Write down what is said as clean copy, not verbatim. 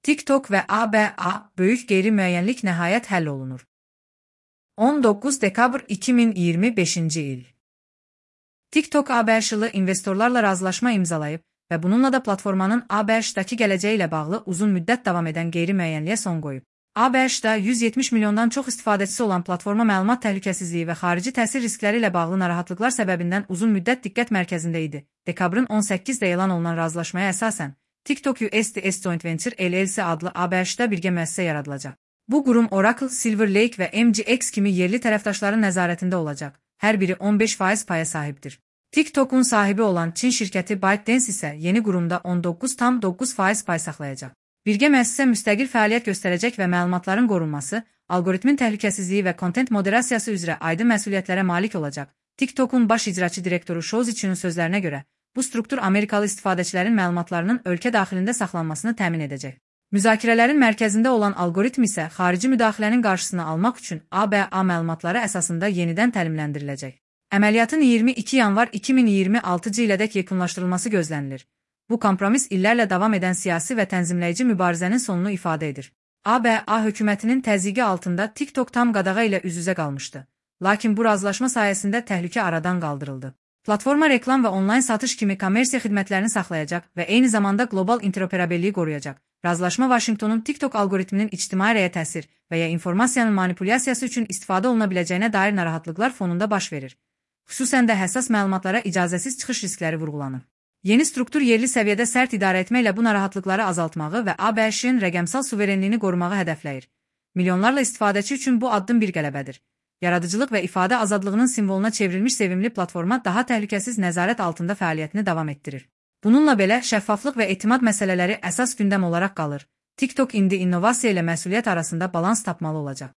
TikTok ve ABA böyük qeyri-müəyyənlik nəhayət həll olunur. 19 dekabr 2025 il. TikTok ABŞ-lı investorlarla razılaşma imzalayıb və bununla da platformanın ABŞ-daki gələcəyi ilə bağlı uzun müddət davam edən qeyri-müəyyənliyə son qoyub. ABŞ-da 170 milyondan çox istifadəçisi olan platforma məlumat təhlükəsizliyi və xarici təsir riskləri ilə bağlı narahatlıqlar səbəbindən uzun müddət diqqət mərkəzində idi. Dekabrın 18-də elan olunan razılaşmaya əsasən, TikTok USDS Joint Venture LLC adlı ABŞ-da birgə müəssisə yaradılacaq. Bu qurum Oracle, Silver Lake və MGX kimi yerli tərəfdaşların nəzarətində olacaq. Hər biri 15% paya sahibdir. TikTok'un sahibi olan Çin şirkəti ByteDance isə yeni qurumda 19,9% pay saxlayacaq. Birgə müəssisə müstəqil fəaliyyət göstərəcək və məlumatların qorunması, algoritmin təhlükəsizliyi və kontent moderasiyası üzrə aydın məsuliyyətlərə malik olacaq. TikTok'un baş icraçı direktoru Shouzi'nin sözlərinə görə, bu struktur Amerikalı istifadəçilərin məlumatlarının ölkə daxilində saxlanmasını təmin edəcək. Müzakirələrin mərkəzində olan algoritm isə xarici müdaxilənin qarşısını almaq üçün ABA məlumatları əsasında yenidən təlimləndiriləcək. Əməliyyatın 22 yanvar 2026 ilədək yekunlaşdırılması gözlənilir. Bu kompromis illərlə davam edən siyasi və tənzimləyici mübarizənin sonunu ifadə edir. ABA hökumətinin təzyiqi altında TikTok tam qadağa ilə üz-üzə qalmışdı. Lakin bu razılaşma sayəsində təhlükə aradan qaldırıldı. Platforma reklam və onlayn satış kimi kommersiya xidmətlərini saxlayacaq və eyni zamanda qlobal interoperabiliyi qoruyacaq. Razılaşma Vaşinqtonun TikTok algoritminin ictimai rəyə təsir və ya informasiyanın manipulyasiyası üçün istifadə oluna biləcəyinə dair narahatlıqlar fonunda baş verir. Xüsusən də həssas məlumatlara icazəsiz çıxış riskləri vurğulanır. Yeni struktur yerli səviyyədə sərt idarə etməklə bu narahatlıqları azaltmağı və ABŞ-ın rəqəmsal suverenliyini qorumağı hədəfləyir. Milyonlarla istifadəçi üçün bu addım bir qələbədir. Yaradıcılıq və ifadə azadlığının simvoluna çevrilmiş sevimli platforma daha təhlükəsiz nəzarət altında fəaliyyətini davam etdirir. Bununla belə, şəffaflıq və etimad məsələləri əsas gündəm olaraq qalır. TikTok indi innovasiya ilə məsuliyyət arasında balans tapmalı olacaq.